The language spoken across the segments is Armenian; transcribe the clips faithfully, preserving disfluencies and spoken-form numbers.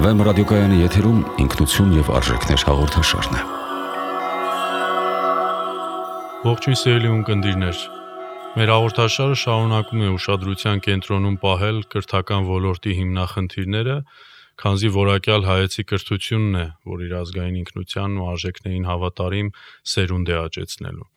Վեմ ռադիոկայանի եթերում ինքնություն և արժեքներ հաղորդաշարն է։ Ողջույն սիրելի ունկնդիրներ, մեր հաղորդաշարը շարունակում է ուշադրության կենտրոնում պահել կրթական ոլորտի հիմնախնդիրները, քանզի որակյալ հայեցի կրթությունն է, որ իր ազգային ինքնությանն ու արժեքներին հավատարիմ սերունդ է աճեցնելու։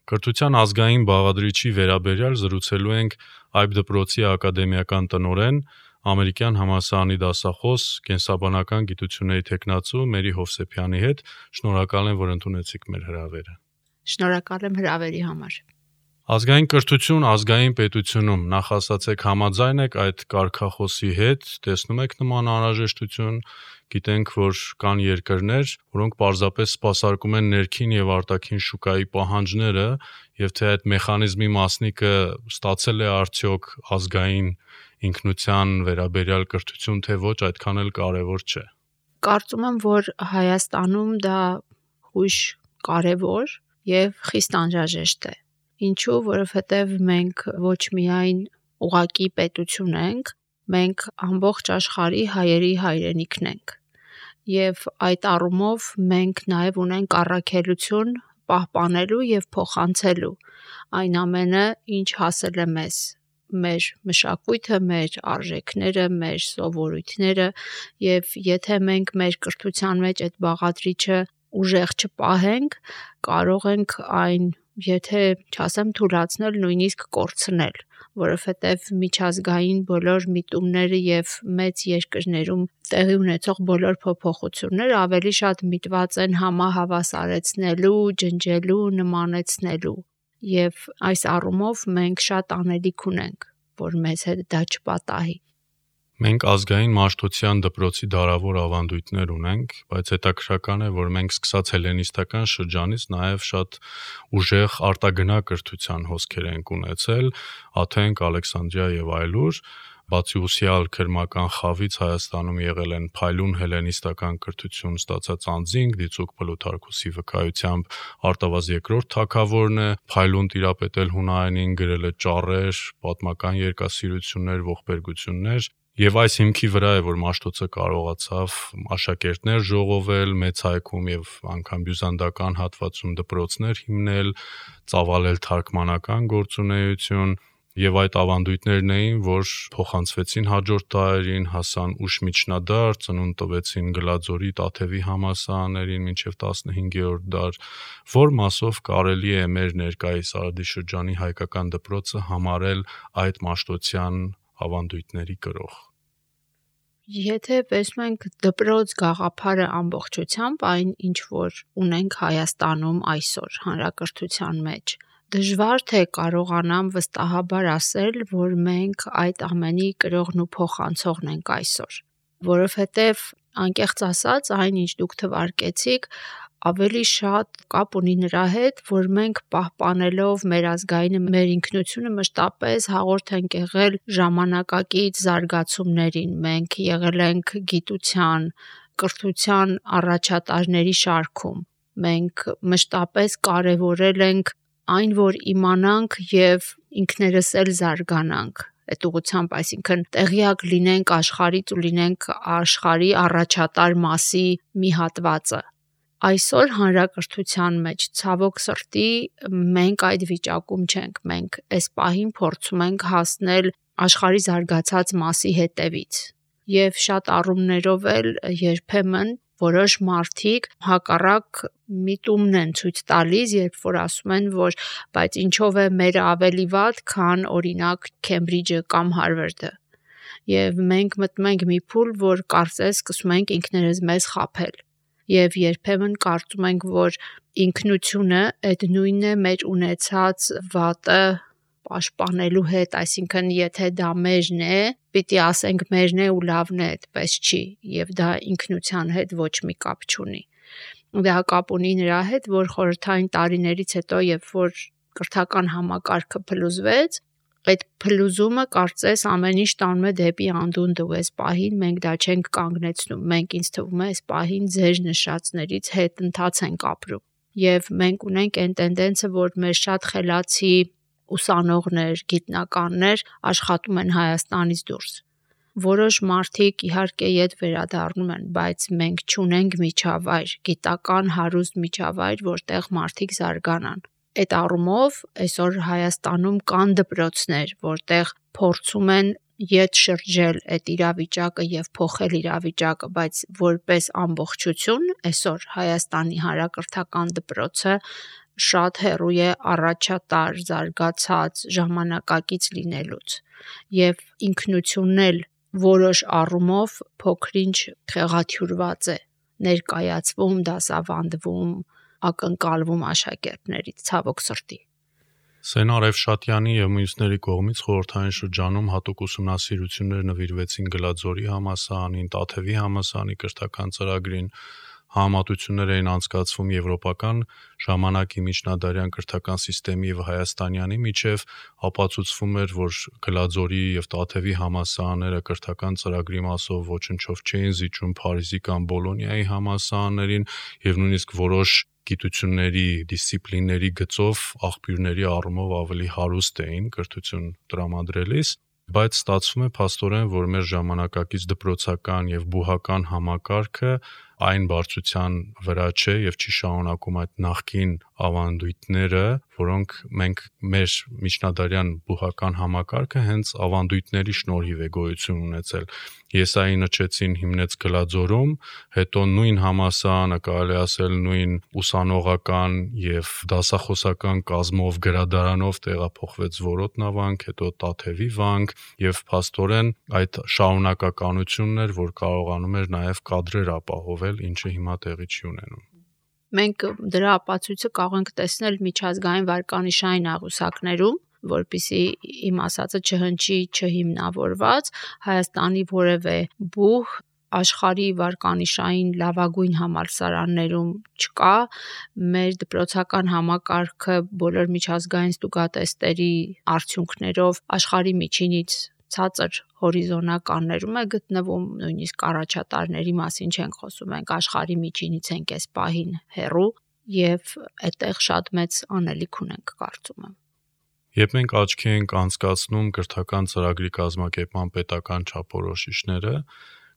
Կրթության ազգային բաղադրիչի վերաբերյալ զրուցելու ենք Այբ դպրոցի ակադեմիական տնօրեն, ամերիկյան համալսարանի դասախոս, կենսաբանական գիտությունների թեկնածու Մերի Հովսեփյանի հետ։ Շնորհակալ եմ, որ ընդունեցիք մեր հրավերը։ Շնորհակալ եմ հրավերի համար։ Ազգային կրթություն ազգային պետությունում, նախ ասացեք, համաձայն եք այդ կարգախոսի հետ, տեսնում եք նման անհրաժեշտություն, գիտենք, որ կան երկրներ, որոնք պարզապես սպասարկում են ներքին եւ արտաքին շուկայի պահանջները, եւ թե այդ մեխանիզմի մասնիկը ստացել է արդյոք ազգային ինքնության վերաբերյալ կրթություն, թե ոչ, այդքան էլ կարևոր չէ։ Կարծում եմ, որ Հայաստանում դա հույժ կարևոր եւ խիստ անհրաժեշտ է։ Ինչու, որովհետեւ մենք ոչ միայն ուղակի պետություն ենք, մենք ամբողջ աշխարհի հայերի հայրենիքն ենք։ Եվ այդ առումով մենք նաև ունենք առաքելություն պահպանելու եւ փոխանցելու այն ամենը, ինչ հասել է մեզ, մեր մշակույթը, մեր արժեքները, մեր սովորույթները, եւ եթե մենք մեր կրթության մեջ այդ բաղադրիչը ուժեղ չպահենք, կարող ենք այն, եթե չասեմ թուլացնել, նույնիսկ կորցնել, որովհետև միջազգային բոլոր միտումները եւ մեծ երկրներում տեղի ունեցող բոլոր փոփոխությունները ավելի շատ միտված են համահավասարեցնելու, ջնջելու, նմանեցնելու, եւ այս առումով մենք շատ անելիք ունենք, որ մեզ հետ դա չպատահի։ Մենք ազգային մաշտոցյան դպրոցի դարավոր ավանդույթներ ունենք, բայց հետաքրքրական է, որ մենք սկսած հելենիստական շրջանից նաև շատ ուժեղ արտագնա կրթության հոսքեր ենք ունեցել, Աթենք, Ալեքսանդրիա եւ այլուր, բացի ուսյալ քրմական խավից Հայաստանում եղել են փայլուն հելենիստական կրթություն ստացած անձինք, Դիցուք Պլութարքոսի վկայությամբ Արտավազ երկրորդ թագավորն է փայլուն տիրապետել հունարենին, գրել է ճառեր, պատմական երկասիրություններ, ողբերգություններ։ Եվ այս հիմքի վրա է, որ Մաշտոցը կարողացավ աշակերտներ ժողովել, մեծ հայքում եւ անգամ բյուզանդական հատվածում դպրոցներ հիմնել, ծավալել թարգմանական գործունեություն, եւ այդ ավանդույթներն էին, որ փոխանցվեցին հաջորդ դարերին, հասան ուշ միջնադար, ծնունդ տվեցին Գլաձորի, Տաթևի համալսարաններին մինչեւ տասնհինգերորդ դար, որ մասով կարելի է մեր ներկայիս Արտաշրջանի հայկական դպրոցը համարել այդ մաշտոցյան ավանդույթների կրող։ Եթե տեսնում ենք դպրոց գաղափարը ամբողջությամբ, այն ինչ որ ունենք Հայաստանում այսօր հանրակրթության մեջ, դժվար թե կարողանամ վստահաբար ասել, որ մենք այդ ամենի կրողն ու փոխանցողն ենք այսօր, որովհետև անկեղծ ասած, այն ինչ դուք թվարկեցիք, ավելի շատ կապ ունի նրա հետ, որ մենք պահպանելով մեր ազգայինը, մեր ինքնությունը մշտապես հաղորդ ենք եղել ժամանակակից զարգացումներին, մենք եղել ենք գիտության, կրթության առաջատարների շարքում, մենք մշտապես կարևորել ենք այն, որ իմանանք եւ ինքներս էլ զարգանանք, այդ ուղղությամբ, այսինքն տեղյակ լինենք աշխարհից ու լինենք աշխարհի առաջատար մասի մի հատվածը։ Այսօր հանրակրթության մեջ ցավոք սրտի մենք այդ վիճակում չենք, մենք այս պահին փորձում ենք հասնել աշխարհի զարգացած մասի հետևից եւ շատ առումներով էլ երբեմն որոշ մարդիկ հակառակ միտումն են ցույց տալիս, երբ որ ասում են, որ բայց ինչով է մերը ավելի վատ, քան օրինակ Քեմբրիջը կամ Հարվարդը։ Եվ մենք մտնում ենք մի փուլ, որ կարծես սկսում ենք ինքներս մեզ խաբել։ Եվ երբեմն կարծում ենք, որ ինքնությունը այդ նույնն է մեր ունեցած վատը պաշտպանելու հետ, այսինքն եթե դա մերն է, պիտի ասենք մերն է ու լավն է, այդպես չի, եւ դա ինքնության հետ ոչ մի կապ չունի։ Դա կապ ունի նրա հետ, որ խորհրդային տարիներից հետո, երբ որ կրթական համակարգը փլուզվեց, այդ փլուզումը կարծես ամեն ինչ տանում է դեպի անդունդը, ու այս պահին մենք դա չենք կանգնեցնում, մենք ինձ թվում է այս պահին ձեր նշածներից հետ ընթաց ենք ապրում, եւ մենք ունենք այն տենդենսը, որ մեր շատ խելացի ուսանողներ, գիտնականներ աշխատում են Հայաստանից դուրս։ Որոշ մարդիկ իհարկե իդ վերադառնում են, բայց մենք չունենք միջավայր, գիտական հարուստ միջավայր, որտեղ մարդիկ զարգանան։ Այդ առումով այսօր Հայաստանում կան դպրոցներ, որտեղ փորձում են իդ շրջել այդ իրավիճակը եւ փոխել իրավիճակը, բայց որպես ամբողջություն այսօր Հայաստանի հանրակրթական դպրոցը շատ հեռու է առաջատար, զարգացած, ժամանակակից լինելուց եւ ինքնությունն էլ որոշ առումով փոքրինչ խեղաթյուրված է ներկայացվում, դասավանդվում, ակնկալվում աշակերտներից, ցավոք սրտի։ Սեն Արևշատյանի եւ մյուսների կողմից խորհրդային շրջանում հատուկ ուսումնասիրություններ նվիրվեցին Գլաձորի համալսարանին, Տաթևի համալսարանի կրթական ծրագրին, համատություններ էին անցկացվում եվրոպական ժամանակի միջնադարյան կրթական համակարգի եւ հայաստանյանի միջև, ապացուցվում էր, որ Գլաձորի եւ Տաթևի համալսարանները կրթական ծրագրի մասով ոչնչով չէին զիջում Փարիզի կամ Բոլոնիայի համալսարաններին եւ նույնիսկ որոշ գիտությունների, դիսցիպլինների գծով աղբյուրների առումով ավելի հարուստ էին կրթություն տրամադրելիս, բայց ստացվում է փաստորեն, որ մեր ժամանակակից դպրոցական եւ բուհական համակարգը այն բարձրության վրա չէ եւ չի շարունակում այդ նախկին ավանդույթները, որոնք մենք մեր միջնադարյան բուհական համակարգը հենց ավանդույթների շնորհիվ է գոյություն ունեցել։ Եսայի Նչեցին հիմնեց Գլաձորում, հետո նույն համալսարանը կարելի ասել նույն ուսանողական եւ դասախոսական կազմով գրադարանով տեղափոխվեց Որոտ նավանք, հետո Տաթևի վանք եւ փաստորեն այդ շարունակականությունն էր, որ կարողանում էր նաեւ կադրեր ապահովել, ինչը հիմա տեղի չի ունենում։ Մենք դրա ապացույցը կարող ենք տեսնել միջազգային վարկանիշային աղյուսակներում, որպեսզի իմ ասածը չհնչի չհիմնավորված, Հայաստանի որևէ բուհ աշխարհի վարկանիշային լավագույն համալսարաններում չկա, մեր դպրոցական համակարգը բոլոր միջազգային ստուգատեստերի արդյունքներով աշխարհի միջինից ցածր հորիզոնականներում է գտնվում, նույնիսկ առաջատարների մասին չենք խոսում, մենք աշխարհի միջինից ենք այս պահին հեռու եւ այդտեղ շատ մեծ անելիք ունենք, կարծում եմ։ Երբ մենք աչքի ենք անցկացնում կրթական ծրագրի կազմակերպման պետական չափորոշիչները,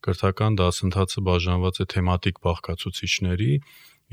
կրթական դասընթացը բաժանված է թեմատիկ բաղկացուցիչների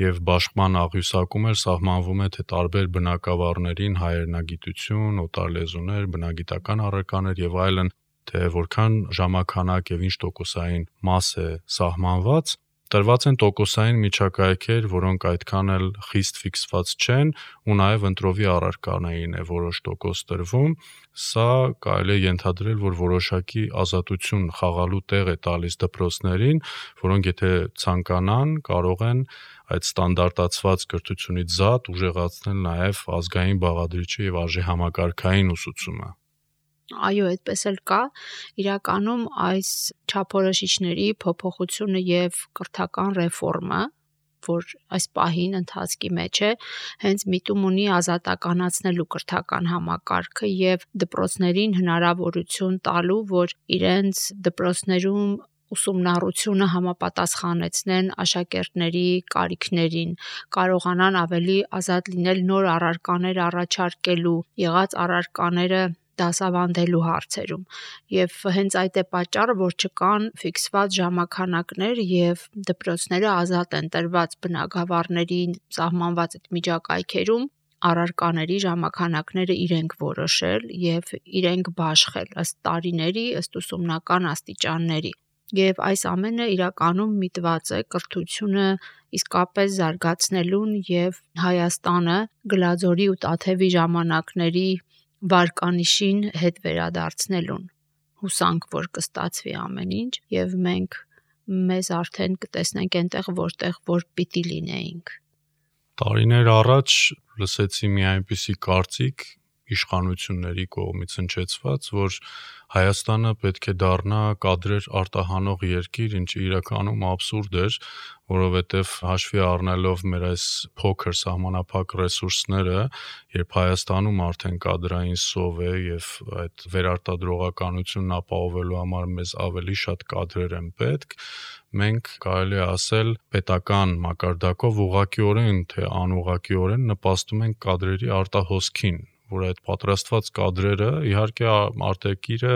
եւ բաշխման աղյուսակում էլ սահմանվում է, թե տարբեր բնակավարներին հայրենագիտություն, օտար լեզուներ, բնագիտական առարկաներ եւ այլն, թե որքան ժամանակ եւ ինչ տոկոսային մաս է սահմանված, տրված են տոկոսային միջակայքեր, որոնք այդքան էլ խիստ ֆիքսված չեն, ու նաեւ ընտրովի առարկաներին է որոշ տոկոս տրվում, սա կարելի է ենթադրել, որ որոշակի ազատություն խաղալու տեղ է տալիս դպրոցներին, որոնք եթե ցանկանան, կարող են այդ ստանդարտացված կրթությունից զատ ուժեղացնել նաեւ ազգային բաղադրիչը եւ արժեհամակարգային ուսուցումը։ Այո, այդպես էլ կա, իրականում այս չափորոշիչների փոփոխությունը եւ կրթական ռեֆորմը, որ այս պահին ընթացքի մեջ է, հենց միտում ունի ազատականացնելու կրթական համակարգը եւ դպրոցներին հնարավորություն տալու, որ իրենց դպրոցներում ուսումնառությունը համապատասխանեցնեն աշակերտների կարիքներին, կարողանան ավելի ազատ լինել նոր առարկաներ առաջարկելու, եղած առարկաները դասավանդելու հարցերում եւ հենց այդ է պատճառը, որ չկան ֆիքսված ժամանակներ եւ դպրոցները ազատ են տրված բնակավարներին սահմանված այդ միջակայքերում առարկաների ժամանակները իրենք որոշել եւ իրենք բաշխել ըստ տարիների, ըստ ուսումնական աստիճանների։ Եվ այս ամենը իրականում միտված է կրթությունը իսկապես զարգացնելուն եւ Հայաստանը Գլաձորի ու Տաթևի ժամանակների վարկանիշին հետ վերադարձնելուն։ Հուսանք, որ կստացվի ամեն ինչ եւ մենք մեզ արդեն կտեսնենք այնտեղ, որտեղ որ պիտի լինեինք։ Տարիներ առաջ լսեցի մի այնպիսի կարծիք իշխանությունների կողմից հնչեցված, որ Հայաստանը պետք է դառնա կադրեր արտահանող երկիր, ինչը իրականում աբսուրդ էր, որովհետև հաշվի առնելով մեր այս փոքր սահմանափակ ռեսուրսները, երբ Հայաստանում արդեն կադրային սով է եւ այդ վերարտադրողականությունն ապահովելու համար մեզ ավելի շատ կադրեր են պետք, մենք կարելի է ասել պետական մակարդակով ուղղակիորեն թե անուղղակիորեն նպաստում ենք կադրերի արտահոսքին, որ այդ պատրաստված կադրերը, իհարկե արտերկիրը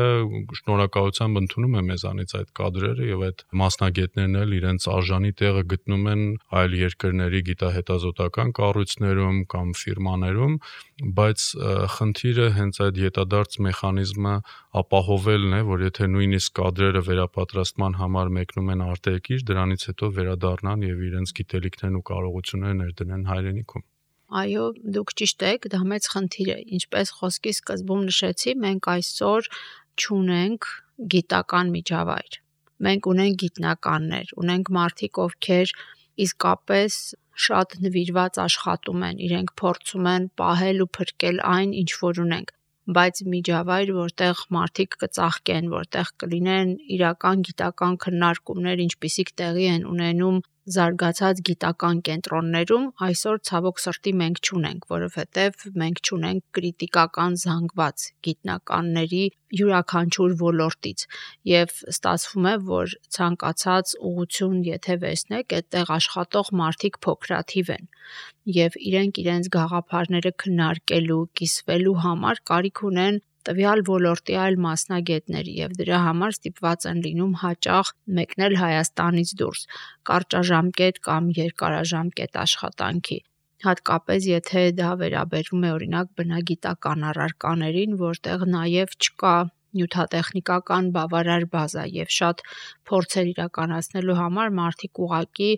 շնորհակալությամբ ընդունում է մեզանից այդ կադրերը եւ այդ մասնագետներն էլ իրենց արժանի տեղը գտնում են այլ երկրների գիտահետազոտական կառույցներում կամ ֆիրմաներում, բայց խնդիրը հենց այդ յետադարձ մեխանիզմը ապահովելն է, որ եթե նույնիսկ կադրերը վերապատրաստման համար մեկնում են արտերկիր, դրանից հետո վերադառնան եւ իրենց գիտելիքներն ու կարողությունները ներդնեն հայրենիքում։ Այո, դուք ճիշտ եք, դա մեծ խնդիր է։ Ինչպես խոսքի սկզբում նշեցի, մենք այսօր չունենք գիտական միջավայր։ Մենք ունենք գիտնականներ, ունենք մարդիկ, ովքեր իսկապես շատ նվիրված աշխատում են, իրենք փորձում են պահել ու փրկել այն, ինչ որ ունենք, բայց միջավայր, որտեղ մարդիկ կծաղկեն, որտեղ կլինեն իրական գիտական քննարկումներ, ինչպիսիք տեղի են ունենում զարգացած գիտական կենտրոններում, այսօր ցավոք սրտի մենք չունենք, որովհետև մենք չունենք կրիտիկական զանգված գիտնականների յուրաքանչյուր ոլորտից եւ ստացվում է, որ ցանկացած ուղղություն եթե վերցնեք, այդտեղ աշխատող մարդիկ փոքրաթիվ են եւ իրենք իրենց գաղափարները քննարկելու, կիսվելու համար կարիք ունեն տվյալ ոլորտի այլ մասնագետների եւ դրա համար ստիպված են լինում հաճախ մեկնել Հայաստանից դուրս կարճաժամկետ կամ երկարաժամկետ աշխատանքի, հատկապես եթե դա վերաբերում է օրինակ բնագիտական առարկաներին, որտեղ նաեւ չկա նյութատեխնիկական բավարար բազա եւ շատ փորձեր իրականացնելու համար մարդիկ ուղակի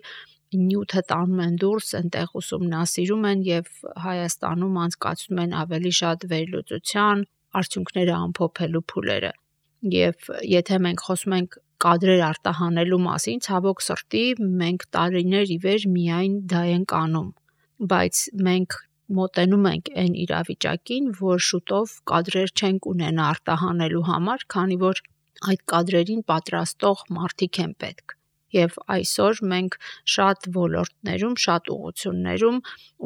նյութը տանում են դուրս, այնտեղ ուսումնասիրում են եւ Հայաստանում անցկացնում են ավելի շատ վերլուծության արդյունքները ամփոփելու փուլերը եւ եթե մենք խոսում ենք կադրեր արտահանելու մասին, ցավոք սրտի մենք տարիներ ի վեր միայն դա ենք անում, բայց մենք մոտենում ենք այն իրավիճակին, որ շուտով կադրեր չենք ունենա արտահանելու համար, քանի որ այդ կադրերին պատրաստող մարդիկ են պետք։ Եվ այսօր մենք շատ ոլորտներում, շատ ուղղություններում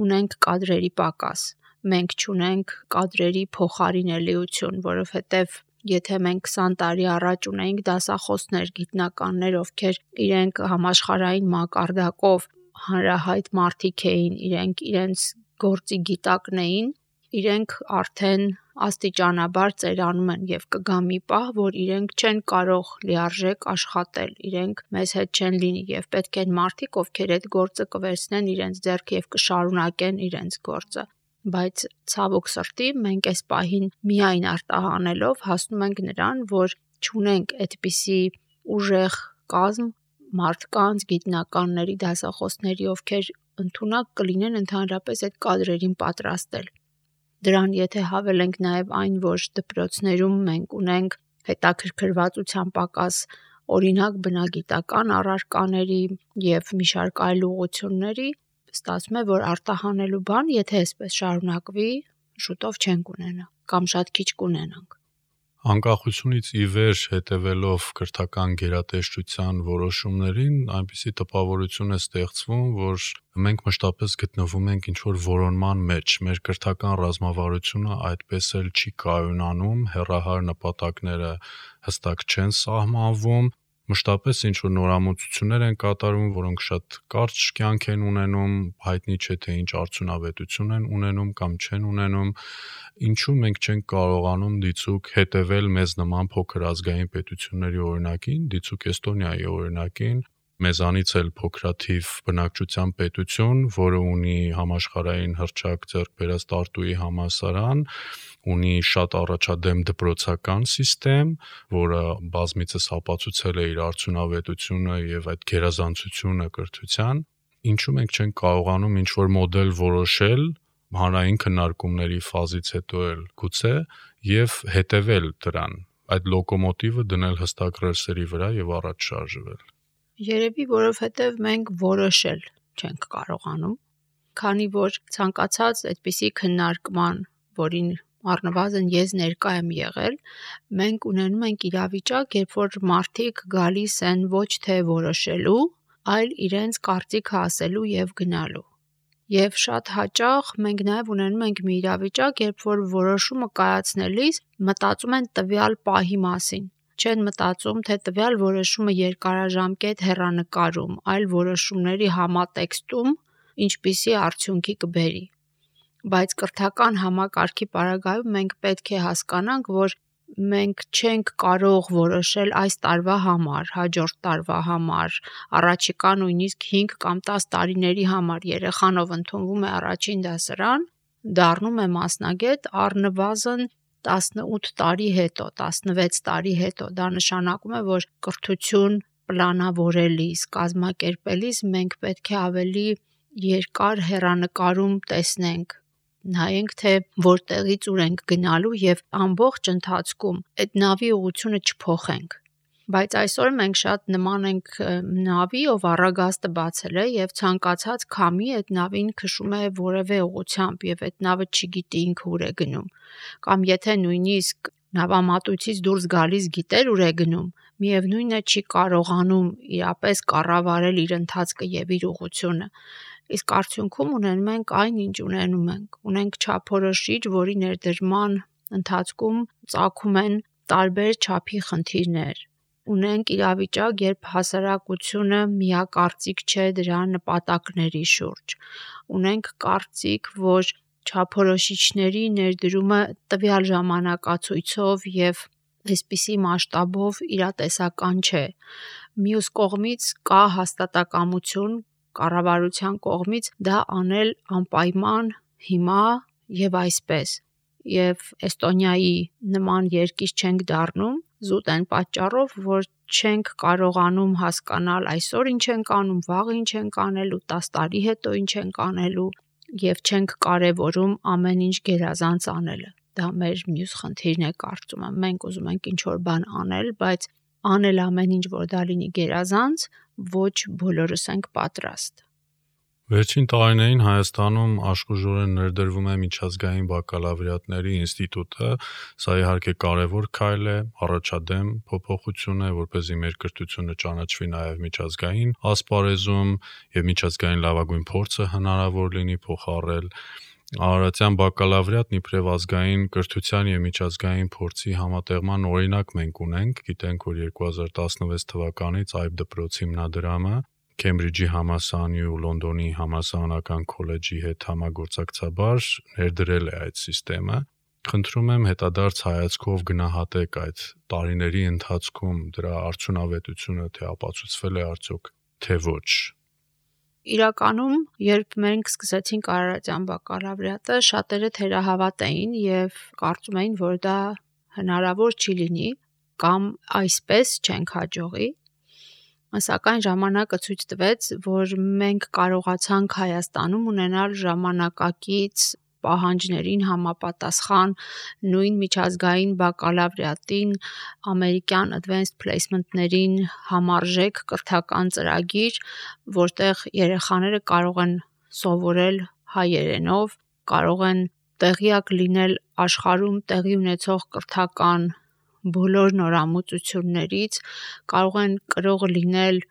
ունենք կադրերի պակաս։ Մենք չունենք կադրերի փոխարինելիություն, որովհետև եթե մենք քսան տարի առաջ ունեինք դասախոսներ, գիտնականներ, ովքեր իրենք համաշխարհային մակարդակով հանրահայտ մարդիկ էին, իրենք իրենց գործի գիտակն էին, իրենք արդեն աստիճանաբար ծերանում են եւ կգա մի պահ, որ իրենք չեն կարող լիարժեք աշխատել, իրենք մեզ հետ չեն լինի եւ պետք են մարդիկ, ովքեր այդ գործը կվերցնեն իրենց ձեռք եւ կշարունակեն իրենց գործը։ Բայց ցավոք սրտի մենք այս պահին միայն արտահանելով հասնում ենք նրան, որ չունենք այդպիսի ուժեղ կազմ մարդկանց, գիտնականների, դասախոսների, ովքեր ընդունակ կլինեն ընդհանրապես այդ կադրերին պատրաստել։ Դրան եթե հավելենք նաև այն, որ դպրոցներում մենք ունենք հետաքրքրվածության պակաս, օրինակ բնագիտական առարկաների եւ մի շարք այլ ուղղությունների, ստացվում է, որ արտահանելու բան, եթե այսպես շարունակվի, շուտով չենք ունենա կամ շատ քիչ կունենանք։ Անկախությունից ի վեր հետևելով կրթական գերատեսչության որոշումներին, այնպիսի տպավորություն է ստեղծվում, որ մենք մշտապես գտնվում ենք ինչ-որ որոնման մեջ, մեր կրթական ռազմավարությունը այդպես էլ չի կայունանում, հեռահար նպատակները հստակ չեն սահմանվում, մշտապես ինչ-որ նորամուծություններ են կատարվում, որոնք շատ կարճ կյանք են ունենում, հայտնի չէ թե ինչ արդյունավետություն են ունենում կամ չեն ունենում, ինչու մենք չենք կարողանում դիցուք հետևել մեզ նման փոքր ազգային պետությունների օրինակին, դիցուք Էստոնիայի օրինակին, մեզանից էլ փոքրաթիվ բնակչության պետություն, որը ունի համաշխարհային հռչակ ձեռք բերած Տարտուի համալսարան, ունի շատ առաջադեմ դպրոցական համակարգ, որը բազմիցս ապացուցել է իր արդյունավետությունը եւ այդ գերազանցությունը կրթության, ինչու մենք չենք կարողանում ինչ-որ մոդել որոշել հանրային քննարկումների ֆազից հետո էլ գուցե եւ հետևել դրան, այդ լոկոմոտիվը դնել հստակ ռելսերի վրա եւ առաջ շարժվել։ Երևի որովհետև մենք որոշել չենք կարողանում, քանի որ ցանկացած այդպիսի քննարկման, որին առնվազն ես ներկա եմ եղել, մենք ունենում ենք իրավիճակ, երբ որ մարդիկ գալիս են ոչ թե որոշելու, այլ իրենց կարծիքը ասելու եւ գնալու։ Եվ շատ հաճախ մենք նաև ունենում ենք մի իրավիճակ, երբ որ որոշումը կայացնելիս մտածում են տվյալ պահի մասին, չեն մտածում, թե տվյալ որոշումը երկարաժամկետ հեռանկարում, այլ որոշումների համատեքստում ինչպիսի արդյունքի կբերի։ բայց կրթական համակարգի պարագայում մենք պետք է հասկանանք, որ մենք չենք կարող որոշել այս տարվա համար, հաջորդ տարվա համար, առաջիկա նույնիսկ հինգ կամ տաս տարիների համար երեխան ով ընդունվում է առաջին դասարան, դառնում է մասնագետ առնվազն տասնութ տարի հետո, տասնվեց տարի հետո։ Դա նշանակում է, որ կրթություն պլանավորելիս, կազմակերպելիս մենք պետք է ավելի երկար հեռանկարում տեսնենք, նայենք, թե որտեղից ուր ենք գնալու եւ ամբողջ ընթացքում այդ նավի ուղղությունը չփոխենք։ Բայց այսօր մենք շատ նման ենք նավի, ով առագաստը բացել է եւ ցանկացած քամի այդ նավին քշում է որևէ ուղղությամբ եւ այդ նավը չգիտի ինքը ուր է գնում։ Կամ եթե նույնիսկ նավամատույցից դուրս գալիս գիտեր ուր է գնում, միևնույնն է չի կարողանում իրապես կառավարել իր ընթացքը եւ իր ուղղությունը։ Իսկ արդյունքում ունենում ենք այն, ինչ ունենում ենք։ Ունենք չափորոշիչ, որի ներդրման ընթացքում ծագում են տարբեր չափի խնդիրներ։ Ունենք իրավիճակ, երբ հասարակությունը միակարծիք չէ դրա նպատակների շուրջ։ Ունենք կարծիք, որ չափորոշիչների ներդրումը տվյալ ժամանակացույցով եւ այսպիսի մասշտաբով իրատեսական չէ։ Մյուս կողմից կա հաստատակամություն կառավարության կողմից դա անել անպայման հիմա եւ այսպես։ Եվ Էստոնիայի նման երկիր չենք դառնում զուտ այն պատճառով, որ չենք կարողանում հասկանալ այսօր ինչ ենք անում, վաղը ինչ ենք անելու, տաս տարի հետո ինչ ենք անելու եւ չենք կարեւորում ամեն ինչ գերազանց անելը։ Դա մեր մյուս խնդիրն է կարծում եմ։ Մենք ուզում ենք ինչ-որ բան անել, բայց անել ամեն ինչ, որ դա լինի գերազանց, ոչ բոլորս ենք պատրաստ։ Վերջին տարիներին Հայաստանում աշխուժորեն ներդրվում է միջազգային բակալավրիատների ինստիտուտը, սա իհարկե կարևոր քայլ է, առաջադեմ փոփոխություն է, որպեսզի մեր կրթությունը ճանաչվի նաև միջազգային ասպարեզում եւ միջազգային լավագույն փորձը հնարավոր լինի փոխառել։ Արարատյան բակալավրիատն իբրև ազգային կրթության եւ միջազգային փորձի համատեղման օրինակ մենք ունենք, գիտենք, որ երկու հազար տասնվեց թվականից այբ դպրոցի հիմնադրամը Քեմբրիջի համալսարանի ու Լոնդոնի համալսարանական քոլեջի հետ համագործակցաբար ներդրել է այդ համակարգը։ Խնդրում եմ հետադարձ հայացքով գնահատեք այդ տարիների ընթացքում դրա արդյունավետությունը, թե ապացուցվել է արդյոք, թե ոչ։ Իրականում, երբ մենք սկսեցինք արարատյան բակալավրիատը, շատերը թերահավատ էին եւ կարծում էին, որ դա հնարավոր չի լինի կամ այսպես չենք հաջողի։ Սակայն ժամանակը ցույց տվեց, որ մենք կարողացանք Հայաստանում ունենալ ժամանակակից պահանջներին համապատասխան նույն միջազգային բակալավրիատին, ամերիկյան advanced placement-ներին համարժեք կրթական ծրագիր, որտեղ երեխաները կարող են սովորել հայերենով, կարող են տեղյակ լինել աշխարհում տեղի ունեցող կրթական բոլոր նորամուծություններից, կարող են կրող լինել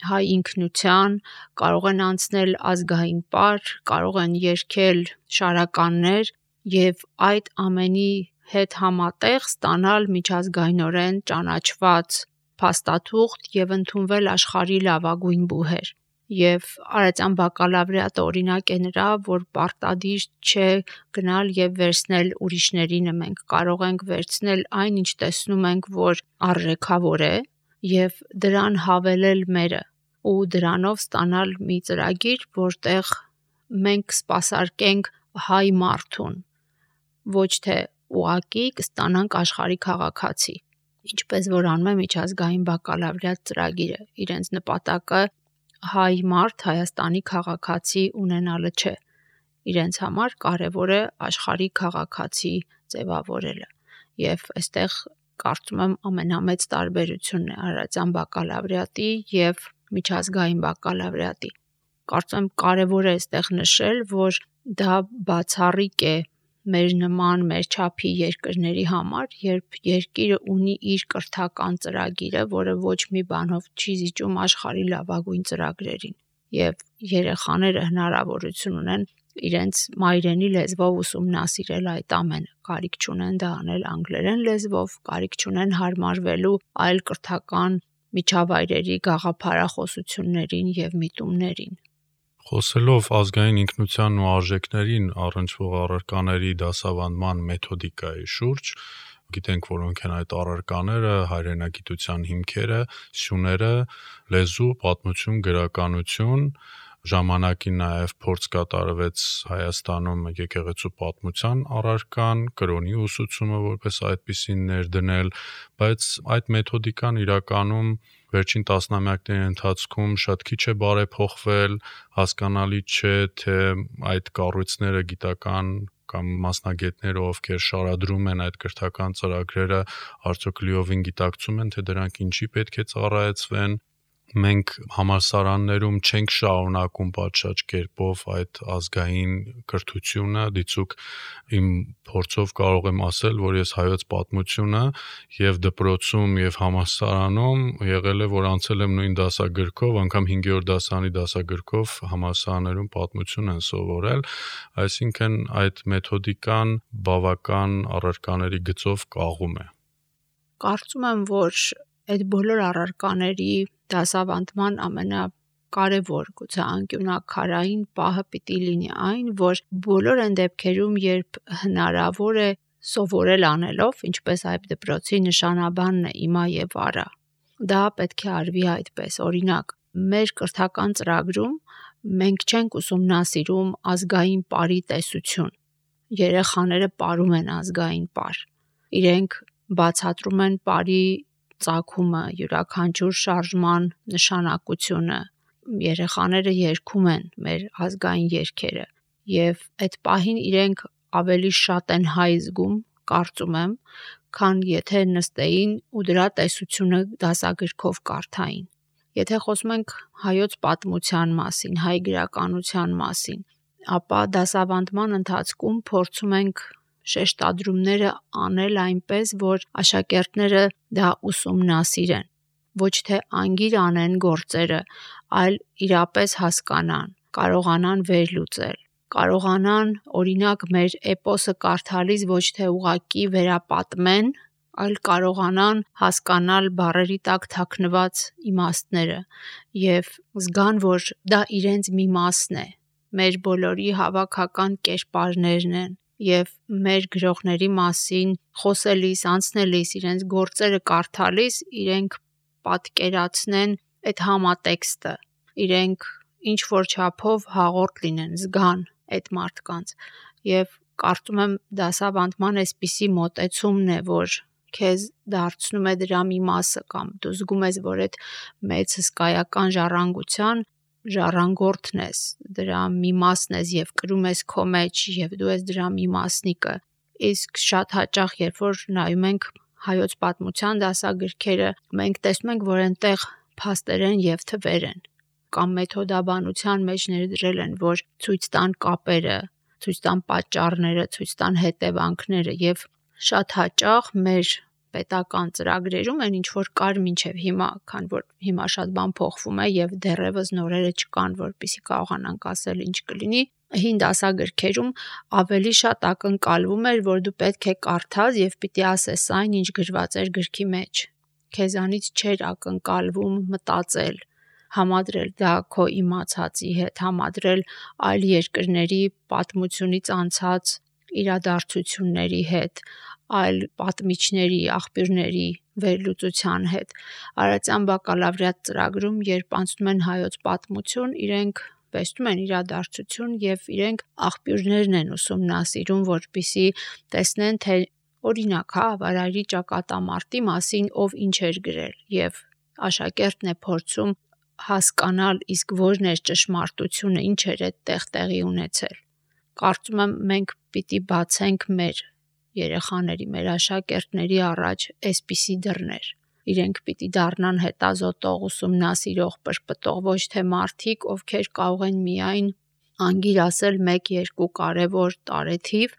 հայ ինքնության, կարող են անցնել ազգային պար, կարող են երգել շարականներ եւ այդ ամենի հետ համատեղ ստանալ միջազգայնորեն ճանաչված փաստաթուղթ եւ ընդունվել աշխարհի լավագույն բուհեր։ Եվ արարատյան բակալավրիատը օրինակ է նրա, որ պարտադիր չէ գնալ եւ վերցնել ուրիշներինը, մենք կարող ենք վերցնել այն, ինչ տեսնում ենք, որ արժեքավոր է եւ դրան հավելել մերը ու դրանով ստանալ մի ծրագիր, որտեղ մենք սպասարկենք հայ մարդուն, ոչ թե ուղակի կստանանք աշխարհի քաղաքացի, ինչպես որ անում է միջազգային բակալավրիատ ծրագիրը, իրենց նպատակը հայ մարդ Հայաստանի քաղաքացի ունենալը չէ, իրենց համար կարևոր է աշխարհի քաղաքացի ձևավորելը եւ այստեղ կարծում եմ ամենամեծ տարբերությունն է արարատյան բակալավրիատի եւ միջազգային բակալավրիատի։ Կարծում եմ կարևոր է այստեղ նշել, որ դա բացառիկ է մեր նման մեր չափի երկրների համար, երբ երկիրը ունի իր կրթական ծրագիրը, որը ոչ մի բանով չի զիջում աշխարհի լավագույն ծրագրերին, եւ երեխաները հնարավորություն ունեն իրենց մայրենի լեզվով ուսումնասիրել այդ ամենը, կարիք չունեն դա անել անգլերեն լեզվով, կարիք չունեն հարմարվելու այլ կրթական միջավայրերի գաղափարախոսություններին եւ միտումներին։ Խոսելով ազգային ինքնության ու արժեքներին առնչվող առարկաների դասավանդման մեթոդիկայի շուրջ, գիտենք որոնք են այդ առարկաները, հայրենագիտության հիմքերը, սյուները, լեզու, պատմություն, գրականություն, ժամանակին նաև փորձ կատարվեց Հայաստանում եկեղեցու պատմության առարկան, կրոնի ուսուցումը որպես այդպիսին ներդնել, բայց այդ մեթոդիկան իրականում վերջին տասնամյակների ընթացքում շատ քիչ է բարեփոխվել, հասկանալի չէ, թե այդ կառույցները գիտական կամ մասնագետները, ովքեր շարադրում են այդ կրթական ծրագրերը, արդյոք լիովին գիտակցում են, թե դրանք ինչի պետք է ծառայեցվեն։ Մենք համալսարաններում չենք շարունակում պատշաճ կերպով այդ ազգային կրթությունը, դիցուք իմ փորձով կարող եմ ասել, որ ես հայոց պատմությունը եւ դպրոցում եւ համալսարանում եղել է, որ անցել եմ նույն դասագրքով, անգամ հինգերորդ դասարանի դասագրքով համալսարաններում պատմություն են սովորել, այսինքն այդ մեթոդիկան բավական առարկաների գծով կաղում է։ Կարծում եմ, որ այդ բոլոր առարկաների դասավանդման ամենակարևոր գուցե անկյունաքարային պահը պիտի լինի այն, որ բոլոր այն դեպքերում, երբ հնարավոր է սովորել անելով, ինչպես այդ դպրոցի նշանաբանն է իմա եւ արա, դա պետք է արվի այդպես։ Օրինակ, մեր կրթական ծրագրում մենք չենք ուսումնասիրում ազգային պարի տեսություն։ Երեխաները պարում են ազգային պար։ Իրենք բացատրում են պարի ծագումը, յուրաքանչյուր շարժման նշանակությունը, երեխաները երգում են մեր ազգային երգերը եւ այդ պահին իրենք ավելի շատ են հայ զգում, կարծում եմ, քան եթե նստեին ու դրա տեսությունը դասագրքով կարդային։ Եթե խոսում ենք հայոց պատմության մասին, հայ գրականության մասին, ապա դասավանդման ընթացքում փորձում ենք շեշտադրումները անել այնպես, որ աշակերտները դա ուսումնասիրեն, ոչ թե անգիր անեն գործերը, այլ իրապես հասկանան, կարողանան վերլուծել, կարողանան օրինակ մեր էպոսը կարդալիս ոչ թե ուղակի վերապատմեն, այլ կարողանան հասկանալ բառերի տակ թաքնված իմաստները եւ զգան, որ դա իրենց մի մասն է, մեր բոլորի հավաքական կերպարներն են եւ մեր գրողների մասին խոսելիս, անցնելիս, իրենց գործերը կարդալիս իրենք պատկերացնեն այդ համատեքստը, իրենք ինչ որ չափով հաղորդ լինեն, զգան այդ մարդկանց եւ կարծում եմ դասավանդման այսպիսի մոտեցումն է, որ քեզ դարձնում է դրա մի մասը կամ դու զգում ես, որ այդ մեծ հսկայական ժառանգության ժառանգորդն ես, դրա մի մասն ես եւ կրում ես քո մեջ եւ դու ես դրա մի մասնիկը։ Իսկ շատ հաճախ, երբ որ նայում ենք հայոց պատմության դասագրքերը, մենք տեսնում ենք, որ այնտեղ փաստերեն եւ թվեր են կամ մեթոդաբանության մեջ ներդրել են, որ ցույց տան կապերը, ցույց տան պատճառները, ցույց տան հետևանքները եւ շատ հաճախ մեր պետական ծրագրերում են ինչ որ կար մինչև հիմա, քան որ հիմա շատ բան փոխվում է եւ դեռևս նորերը չկան, որպեսզի կարողանանք ասել ինչ կլինի։ Հին դասագրքերում ավելի շատ ակնկալվում էր, որ դու պետք է կարդաս եւ պիտի ասես այն, ինչ գրված էր գրքի մեջ։ Քեզանից չէր ակնկալվում մտածել, համադրել դա քո իմացածի հետ, համադրել այլ երկրների պատմությունից անցած իրադարձությունների հետ, այլ պատմիչների, աղբյուրների վերլուծության հետ։ Արարատյան բակալավրիատ ծրագրում, երբ անցնում են հայոց պատմություն, իրենք տեսնում են իրադարձություն եւ իրենք աղբյուրներն են ուսումնասիրում, որպեսզի տեսնեն, թե օրինակ, հա, Վարայրի ճակատամարտի մասին ով ինչ էր գրել եւ աշակերտն է փորձում հասկանալ, իսկ որն էր ճշմարտությունը, ինչ էր այդտեղ տեղի ունեցել։ Կարծում եմ մենք պիտի բացենք մեր երեխաների, մեր աշակերտների առաջ այսպիսի դռներ։ Իրենք պիտի դառնան հետազոտող, ուսումնասիրող, պրպտող, ոչ թե մարդիկ, ովքեր կարող են միայն անգիր ասել մեկ-երկու կարևոր տարեթիվ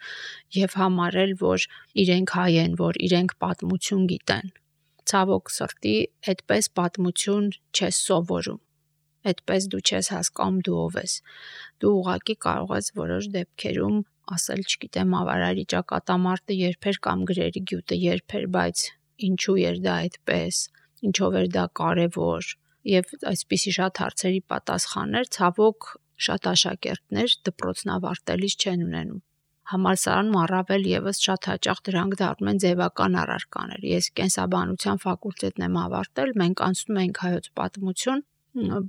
եւ համարել, որ իրենք հայ են, որ իրենք պատմություն գիտեն։ Ցավոք սրտի, այդպես պատմություն չես սովորում։ Այդպես դու չես հասկանում դու ով ես։ Դու ուղղակի կարող ես որոշ դեպքերում ասել, չգիտեմ, Վարայրի ճակատամարտը երբ էր կամ գրերի գյուտը երբ էր, բայց ինչու էր դա այդպես, ինչով էր դա կարևոր եւ այսպիսի շատ հարցերի պատասխաններ ցավոք շատ աշակերտներ դպրոցն ավարտելիս չեն ունենում։ Համալսարանում առավել եւս շատ հաճախ դրանք դառնում են ձևական առարկաներ։ Ես կենսաբանության ֆակուլտետն եմ ավարտել, մենք անցնում ենք հայոց պատմություն,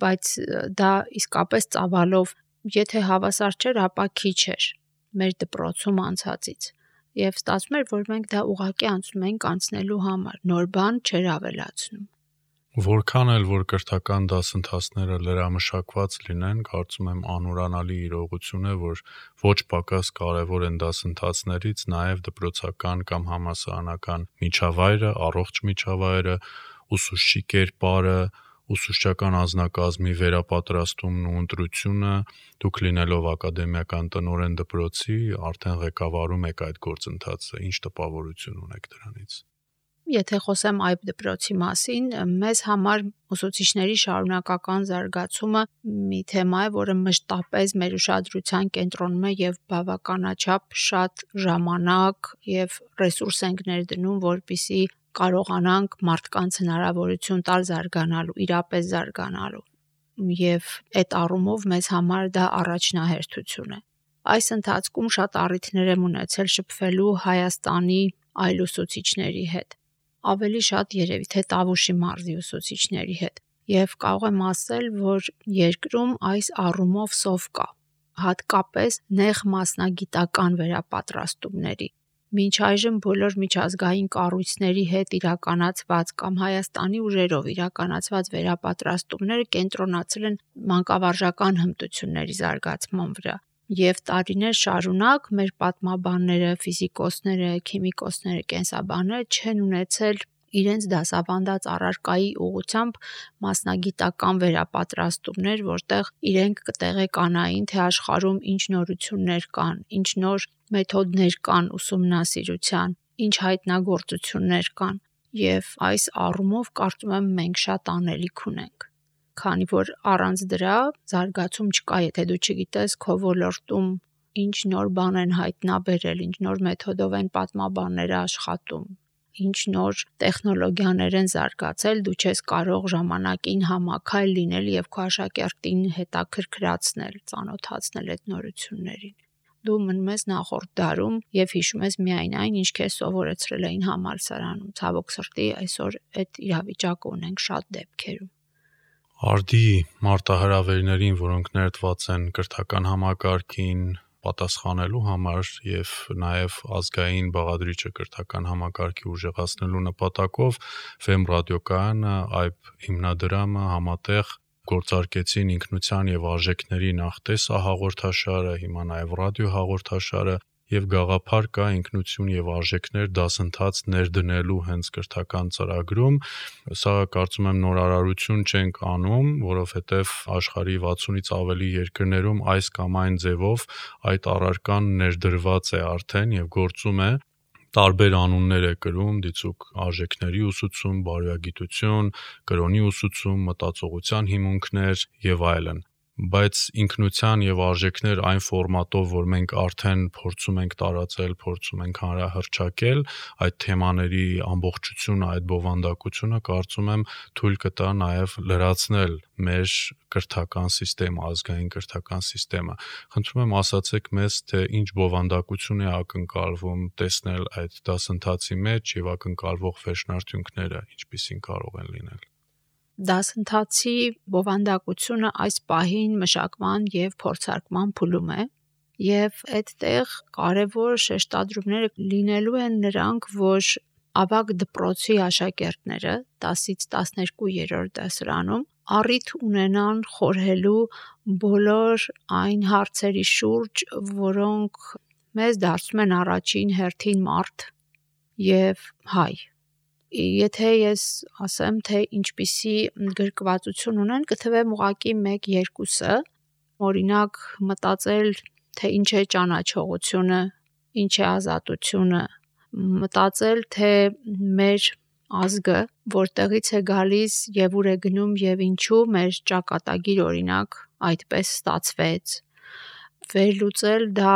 բայց դա իսկապես ծավալով, եթե հավասար չէր, ապա քիչ էր մեր դպրոցում անցածից։ Եվ ստացվում էր, որ մենք դա ուղղակի անցնում ենք անցնելու համար, նոր բան չէր ավելացնում։ Որքան էլ որ կրթական դասընթացները լրամշակված լինեն, կարծում եմ անուրանալի իրողություն է, որ ոչ պակաս կարևոր են դասընթացներից նաև դպրոցական կամ համալսարանական միջավայրը, առողջ միջավայրը, ուսուցչի կերպարը, ուսուցչական անձնակազմի վերապատրաստումն ու ընտրությունը, դուք լինելով ակադեմիական տնօրեն դպրոցի, արդեն ղեկավարում եք այդ գործընթացը, ինչ տպավորություն ունեք դրանից։ Եթե խոսեմ այբ դպրոցի մասին, մեզ համար ուսուցիչների շարունակական զարգացումը մի թեմա է, որը մշտապես մեր ուշադրության կենտրոնում է եւ բավականաչափ շատ ժամանակ եւ ռեսուրս ենք ներդնում, որպեսզի կարողանանք մարդկանց հնարավորություն տալ զարգանալու, իրապես զարգանալու։ Եվ այդ առումով մեզ համար դա առաջնահերթություն է։ Այս ընթացքում շատ առիթներ եմ ունեցել շփվելու Հայաստանի այլ ուսուցիչների հետ, ավելի շատ երևի թե Տավուշի մարզի ուսուցիչների հետ, եւ կարող եմ ասել, որ երկրում այս առումով սով կա, հատկապես նեղ մասնագիտական վերապատրաստումների։ Մինչ այժմ բոլոր միջազգային կառույցների հետ իրականացված կամ Հայաստանի ուժերով իրականացված վերապատրաստումները կենտրոնացել են մանկավարժական հմտությունների զարգացման վրա։ Եվ տարիներ շարունակ մեր պատմաբանները, ֆիզիկոսները, քիմիկոսները, կենսաբանները չեն ունեցել իրենց դասավանդած առարկայի ուղղությամբ մասնագիտական վերապատրաստումներ, որտեղ իրենք կտեղեկանային, թե աշխարհում ինչ նորություններ կան, ինչ նոր մեթոդներ կան ուսումնասիրության, ինչ հայտնագործություններ կան։ Եվ այս առումով կարծում եմ մենք շատ անելիք ունենք, քանի որ առանց դրա զարգացում չկա, եթե դու չգիտես քո ոլորտում ինչ նոր բան են հայտնաբերել, ինչ նոր մեթոդով են պատմաբանները աշխատում, ինչ նոր տեխնոլոգիաներ են զարգացել, դու չես կարող ժամանակին համակայլ լինել եւ քո աշակերտին հետաքրքրացնել, ծանոթացնել այդ նորություններին։ Դու մնում ես նախորդ դարում եւ հիշում ես միայն այն, ինչ քեզ սովորեցրել էին համալսարանում։ Ցավոք սրտի այսօր այդ իրավիճակը ունենք շատ դեպքերում։ Արդի մարտահրավերներին, որոնք ներդված են կրթական համակարգին պատասխանելու համար եւ նաեւ ազգային բաղադրիչը կրթական համակարգի ուժեղացնելու նպատակով Ֆեմ ռադիոկայանը այբ հիմնադրամը համատեղ գործարկեցին ինքնության եւ արժեքների նախտեսը հաղորդաշարը, հիմա նաեւ ռադիո հաղորդաշարը եւ գաղափար կա ինքնություն եւ արժեքներ դասընթաց ներդնելու հենց կրթական ծրագրում։ Սա կարծում եմ նորարարություն չենք անում, որովհետեւ աշխարհի վաթսունից ավելի երկրներում այս կամ այն ձևով այդ առարկան ներդրված է արդեն եւ գործում է։ Տարբեր անուններ է կրում, դիցուք արժեքների ուսուցում, բարոյագիտություն, կրոնի ուսուցում, մտածողության հիմունքներ եւ այլն։ Բայց ինքնության եւ արժեքներ այն ֆորմատով, որ մենք արդեն փորձում ենք տարածել, փորձում ենք հանրահռչակել, այդ թեմաների ամբողջությունը, այդ բովանդակությունը կարծում եմ թույլ կտա նաեւ լրացնել մեր կրթական համակարգը, ազգային կրթական համակարգը։ Խնդրում եմ ասացեք մեզ, թե ինչ բովանդակություն է ակնկալվում տեսնել այդ դասընթացի մեջ եւ ակնկալվող վերջնարդյունքները ինչպիսին կարող են լինել։ Դասընթացի բովանդակությունը այս պահին մշակման եւ փորձարկման փուլում է, եւ այդտեղ կարևոր շեշտադրումները լինելու են նրանք, որ ավագ դպրոցի աշակերտները դասից տասներկու-երրորդ դասարանում առիթ ունենան խորհելու բոլոր այն հարցերի շուրջ, որոնք մեզ դարձնում են առաջին հերթին մարդ եւ հայ։ Եթե ես ասեմ, թե ինչպիսի գրկվածություն ունեն, կթվեմ ուղղակի մեկ-երկուսը, օրինակ մտածել, թե ինչ է ճանաչողությունը, ինչ է ազատությունը, մտածել, թե մեր ազգը որտեղից է գալիս եւ ուր է գնում եւ ինչու մեր ճակատագիր օրինակ այդպես ստացվեց, վերլուծել դա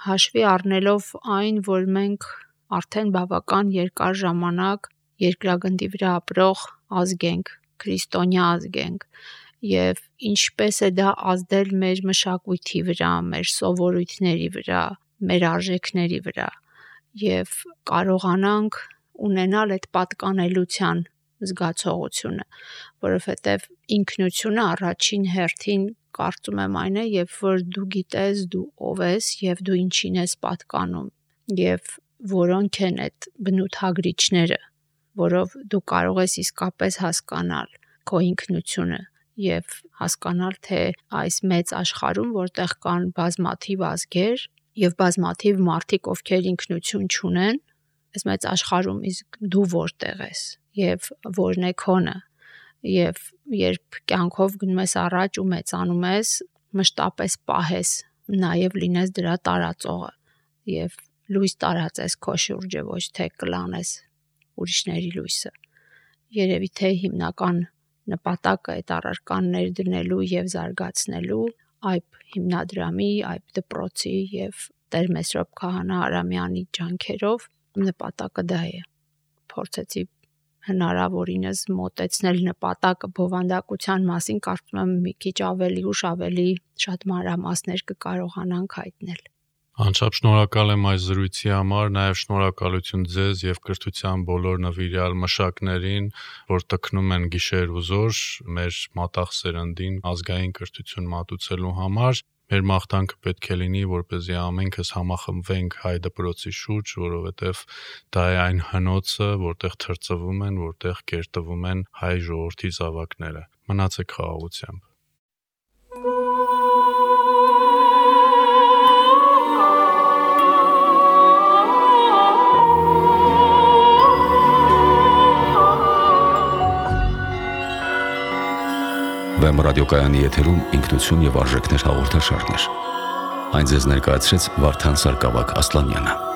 հաշվի առնելով այն, որ մենք արդեն բավական երկար ժամանակ երկրագնդի վրա ապրող ազգ ենք, քրիստոնյա ազգ ենք, եւ ինչպես է դա ազդել մեր մշակույթի վրա, մեր սովորույթների վրա, մեր արժեքների վրա եւ կարողանանք ունենալ այդ պատկանելության զգացողությունը, որովհետեւ ինքնությունը առաջին հերթին կարծում եմ այն է, երբ որ դու գիտես դու ով ես եւ դու ինչին ես պատկանում եւ որոնք են այդ բնութագրիչները, որով դու կարող ես իսկապես հասկանալ քո ինքնությունը եւ հասկանալ թե այս մեծ աշխարհում, որտեղ կան բազմաթիվ ազգեր եւ բազմաթիվ մարդիկ, ովքեր ինքնություն չունեն, այս մեծ աշխարհում իսկ դու որտեղ ես եւ որն է քոնը եւ երբ կյանքով գնում ես առաջ ու մեծանում ես, մշտապես պահես, նաեւ լինես դրա տարածողը եւ լույս տարածես քո շուրջը, ոչ թե կլանես ուրիշների լույսը։ Երևի թե հիմնական նպատակը այդ առարկան ներդնելու եւ զարգացնելու այբ հիմնադրամի, այբ դպրոցի եւ Տեր Մեսրոպ Քահանա Արամյանի ջանքերով նպատակը դա է։ Փորձեցի հնարավորինս մոտեցնել նպատակը բովանդակության մասին, կարծում եմ մի քիչ ավելի ուշ ավելի շատ մանրամասներ կկարողանանք հայտնել։ Անչափ շնորհակալ եմ այս զրույցի համար, նաև շնորհակալություն ձեզ եւ կրթության բոլոր նվիրյալ մշակներին, որ տքնում են գիշեր ու զոր մեր մատաղ սերնդին ազգային կրթություն մատուցելու համար։ Մեր մաղթանքը պետք է լինի, որպեսզի ամենքս համախմբվենք հայ դպրոցի շուրջ, որովհետև դա է այն հնոցը, որտեղ թրծվում են, որտեղ կերտվում են հայ ժողովրդի զավակները։ Մնացեք խաղաղությամբ։ Վեմ ռադիոկայանի եթերում ինքնություն եւ արժեքներ հաղորդաշարներ։ Այն ձեզ ներկայացրեց Վարդան Սարգսակ Ասլանյանը։